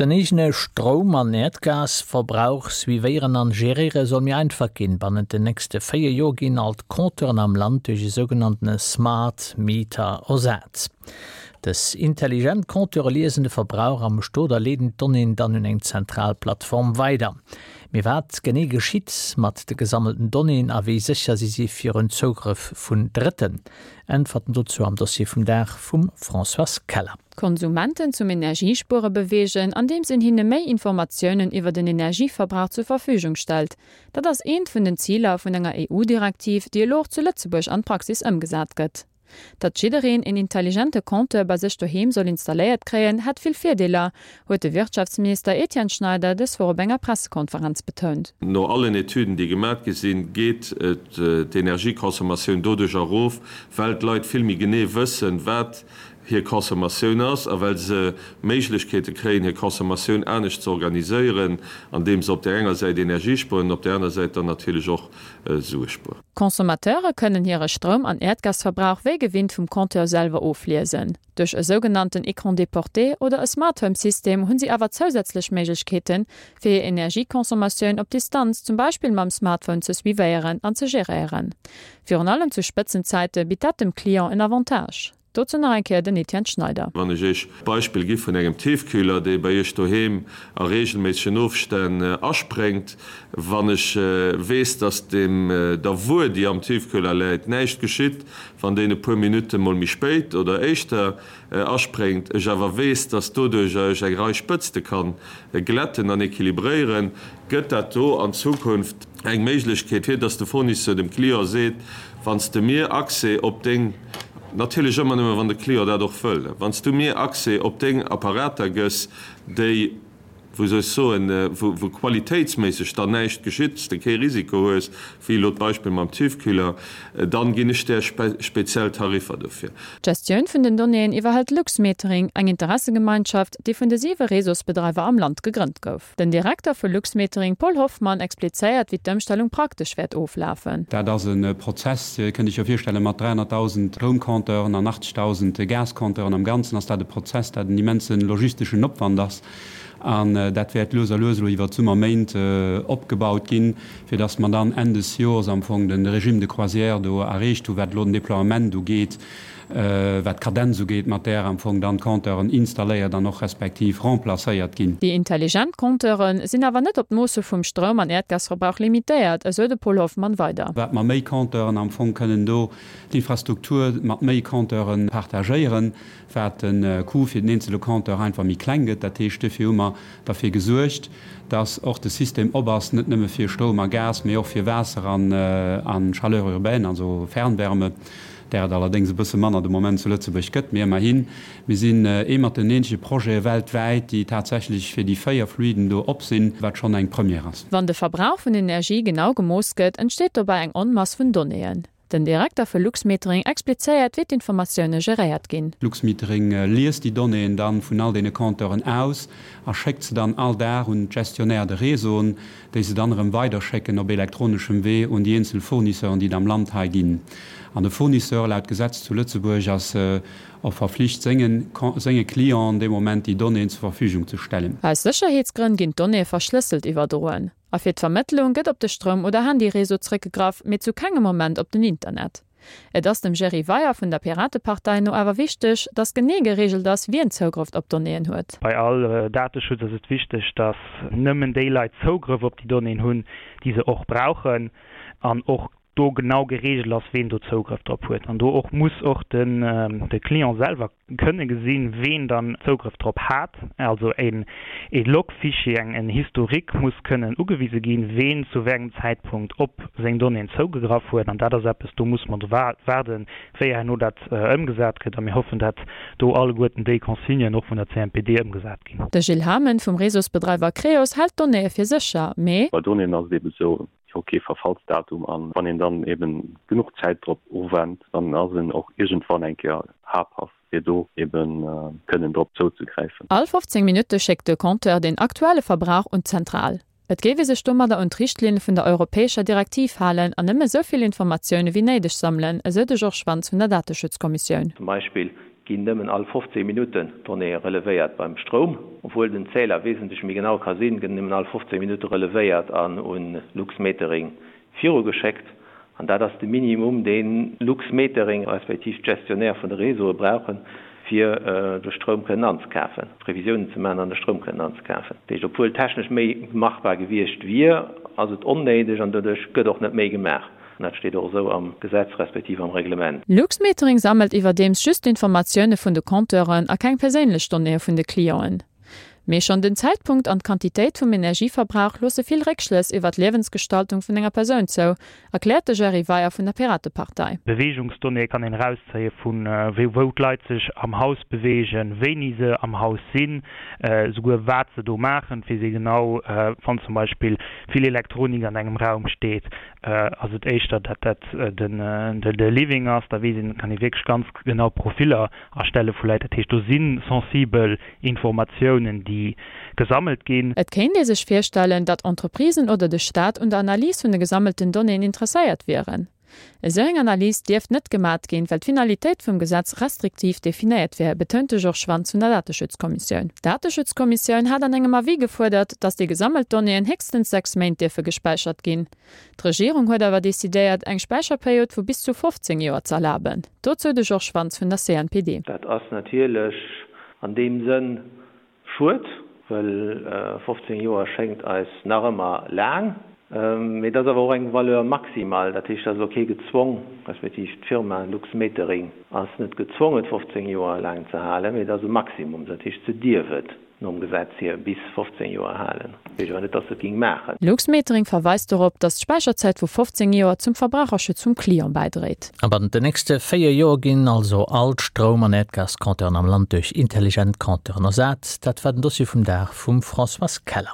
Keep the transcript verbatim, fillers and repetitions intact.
Den eegene Stroum an Äerdgasverbrauch suivéieren an geréiere soll méi einfach ginn. Bannent den nächste véier Joer ginn all d'Compteuren am Land duerch e sougenanntene Smart Meter ersat. Dës intelligent Compteure liesen de Verbrauch am Stot a leeden d'Donnéeën dann un eng zentral Plattform weider. Mee wat genee geschitt mat de gesammelten Donnéeën a wéi sécher si si virun Zougrëff vun Drëtten? Äntwerten dozou am Dossier vum Dag vum Françoise Keller. D'Konsumenten zum Energiespuere beweegen, andeems een hinne méi Informatiounen iwwer den Energieverbrauch zur Verfügung stellt, dat ass eent vun den Ziler vun enger E U-Direktiv, déi elo och zu Lëtzebuerg an d'Praxis ëmgesat gëtt. Datt jiddereen een intelligente Compteur bei sech doheem soll installéiert kréien, hätt vill Virdeeler, huet de Wirtschaftsminister Etienne Schneider dës Woch op enger Pressekonferenz betount. No allen Etüden, déi gemat gi sinn, geet d'Energieconsommatioun doduerch erof, well d'Leit vill méi genee wëssen, wat hir Consommatioun ass a well se Méiglechkeete kréien, hir Consommatioun anescht ze organiséieren, andeem se op där enger Säit Energie spueren an op där aner Säit dann natierlech och Sue spueren. Consommateure kënnen hire Stroum an Äerdgasverbrauch wéi gewinnt vum Compteur selwer ofliesen. Duerch e sougenannten Écran déporté oder e Smart Home System hunn si awer zousätzlech Méiglechkeeten, fir hir Energieconsommatioun op Distanz, zum Beispill mam Smartphone, ze suivéieren an ze geréieren. Virun allem zu Spëtzenzäite bitt dat dem Client en Avantage. Dozou nach eng Kéier den Etienne Schneider. Wann ech Iech d'Beispill gi vun engem Tiefkühler, dee bei Iech doheem a reegelméissegen Ofstänn aspréngt, wann ech weess, dass dem der Wuer, déi am Tiefkühler läit, näischt geschitt, wann deen e puer Minutte mol méi spéit oder éischter aspréngt, ech awer weess, dass doduercher ech eng Rei Spëtzte kann glätten an equilibréieren, gëtt dat do an Zukunft eng Méiglechkeet, fir dass de Fournisseur dem Client seet, Wann s de mir Accès op deng, natierlech ëmmer nëmme wann de Client dat och wëll, wann s du mir Accès op deng Apparater gëss, déi, wou soll ech soen, wou wou qualitéitsméisseg dann näischt geschitt, s de kee Risiko hues, wéi elo d'Beispill mam Tiefkühler, dann ginn ech där speziell Tariffer dofir. D'Gestioun vun den Donnéeën iwwerhëlt Luxmetering, eng Interessegemeinschaft, déi vun de siwe Réseausbedreiwer am Land gegrënnt gouf. Den Direkter vu Luxmetering, Paul Hoffmann, explizéiert, wéi d'Ëmstellung praktesch wäert oflafen. Dat ass e Prozess, kënnt Iech jo virstellen, mat dräihonnertdausend Stroumcompteuren an achtzegdausend Gascompteuren am Ganzen ass dat e Prozess, dat en immense logisteschen Opwand ass. An dat wäert lues a lues elo iwwert d'Summerméint opgebaut ginn, fir dass mer dann Enn des Jores am Fong de Régime de croisière do erreecht hu wat elo den Déploiement ugeet, wat d'Kadenz ugeet, mat där am Fong dann d'Compteuren installéiert an och respektiv remplacéiert ginn. Déi intelligent Compteure sinn awer net op d'Moosse vum Stroum an Äerdgasverbrauch limitéiert, esou de Paul Hoffmann weider. Wat mer méi Compteuren am Fong kënnen do d'Infrastruktur mat méi Compteure partagéieren, wat de Coût fir den eenzele Compteur einfach méi kleng gëtt. Dat heescht, duerfir hu mer derfir gesuergt, dass och de System op ass, net nëmme fir Stroum a Gas, mee och fir Waasser an Chaleur urbaine, also Fernwärme, där et allerdéngs e bësse manner de Moment zu Lëtzebuerg gëtt. Mee ëmmerhin, mir sinn ee mat den eenzege Projete weltwäit, déi tatsächlech fir déi véier Fluiden do op sinn, wat schonn eng Première ass. Wann de Verbrauch vun Energie genau gemooss gëtt, entsteet dobäi eng Onmass vun Donnéeën. Den Direkter vu Luxmetering explizéiert, wéi d'Informatioune geréiert ginn. Luxmetering liest déi Donnéeën dann vun all deene Compteuren aus a schéckt se dann all Dag un d'Gestionnaires de réseauen, déi se dann erëm weiderschécken op elektroneschem Wee un déi eenzel Fournisseuren, déi et am Land hei ginn. An de Fournisseur, laut Gesetz zu Lëtzebuerg, ass och verflicht, senge senge Clienten dee Moment déi Donnéeën zur Verfügung ze stellen. Aus Sécherheetsgrënn ginn d'Donnéeë verschlësselt iwwerdroen. A fir d'Vermëttlung gëtt op de Stroum oder Handyreseau zréckgegraff, mee zu kengem Moment op den Internet. Et ass dem Jerry Weyer vun der Piratepartei no awer wichteg, datt genee gereegelt ass, wien Zougrëff op d'Donnéeën huet. Bei all Dateschutz ass et wichteg, datt nëmmen déi Leit Zougrëff op déi Donnéeën hunn, déi se och brauchen, an och do genau gereegelt ass, ween do Zougrëff drop huet. An do och muss och den de Client selwer kënne gesinn, ween dann Zougrëff drop hat. Also een ee Log-Fichier, eng en Historique muss kënnen ugewise ginn, ween zu wéi engem Zäitpunkt op seng Donnéeën zougegraff huet. An dat ass eppes, do muss mer do waarden, wéi herno dat ëmgesat gëtt. A mir hoffen, dat do alleguerten déi Consignen och vun der C N P D ëmgesat ginn. De Gilles Hamen vum Réseausbedreiwer Creos hält d'Donnéeë fir sécher, mee. Bei Donnéeën ass et eebe sou, jo kee Verfallsdatum an wann een dann eben genuch Zäit drop ofwennt, dann ass en och iergendwann eng Kéier habhaft fir do eben kënnen drop zouzegräifen. All fofzéng Minutte schéckt de Compteur den aktuelle Verbrauch un d'Zentral. Et géif ee sech domadder un d'Richtlinne vun der europäescher Direktiv halen an nëmme esou vill Informatioune wéi néideg sammelen, esou de Georges Schwanz vun der Dateschutzkommissioun. Zum Beispill ginn nëmmen all fofzéng Minutten Donnéeë relevéiert beim Stroum. Obwuel den Zähler wesentlech méi genau ka sinn, gëtt nëmmen all fofzéng Minutte relevéiert an un Luxmetering virugeschéckt. An dat ass de Minimum, dee Luxmetering respektiv d'Gestionnaire vun de Réseaue brauchen, fir de Stroum kënnen anzekafen, Previsiounen ze maachen an de Stroum kënnen anzekafen. Dat heescht, obwuel technesch méi machbar gewiescht wier, ass et onnéideg an doduerch gëtt och net méi gemaach. An dat steet och esou am Gesetz respektiv am Reglement. Luxmetering sammelt iwwerdeems just d'Informatioune vun de Compteuren a keng perséinlech Donnéeë vun de Clienten. Mee schonn den Zäitpunkt an d'Quantitéit vum Energieverbrauch loosse vill Réckschlëss iwwer d'Liewensgestaltung vun enger Persoun zou, erkläert de Jerry Weyer vun der Piratepartei. Beweegungsdonnéeë kann een erauszéie vu wou d'Leit sech am Haus beweegen, wéini se am Haus sinn, esouguer wat se do maachen, fir si genau, wann zum Beispill vill Elektronik an engem Raum steet, ass et éischter, datt dat de Living ass, da weess een, kann ee wierklech ganz genau Profiller erstelle vu Leit. Dat heescht, do si sensibel Informatiounen, déi gesammelt ginn. Et kéint ee sech virstellen, datt Entreprisen oder de Staat un der Analys vun de gesammelten Donnéeën interesséiert wieren. Esou eng Analys dierft net gemat ginn, well d'Finalitéit vum Gesetz restriktiv definéiert wär, betount de Georges Schwanz vun der Dateschutzkommissioun. D'Dateschutzkommissioun hat an engem Avis gefuerdert, datt déi gesammelt Donnéeën héchstens sechs Méint dierfe gespäichert ginn. D'Regierung huet awer decidéiert, eng Späicherperiod vu bis zu fofzéng Joer z'erlaben. Dozou de Georges Schwanz vun der C N P D. Dat ass natierlech an deem Sënn schued, well fofzéng Joer schéngt eis nach ëmmer laang. Mee et ass awer och eng Valeur maximale, dat heescht, et ass elo kee gezwong, respektiv d'Firma Luxmetering ass net gezwong, et fofzéng Joer laang ze halen, mee et ass e Maximum, dat heescht, se dierf et nom Gesetz hier bis fofzéng Joer halen. Dat heescht awer net, datt se et géing maachen. Luxmetering verweist dorop, datt d'Späicherzäit vu fofzéng Joer zum Verbraucherschutz vum Client bäidréit. A bannent den nächste véier Joer ginn also all d'Stroum an Äerdgascompteuren am Land duerch intelligent Compteuren ersat. Dat war den Dossier vum Dag vum Françoise Keller.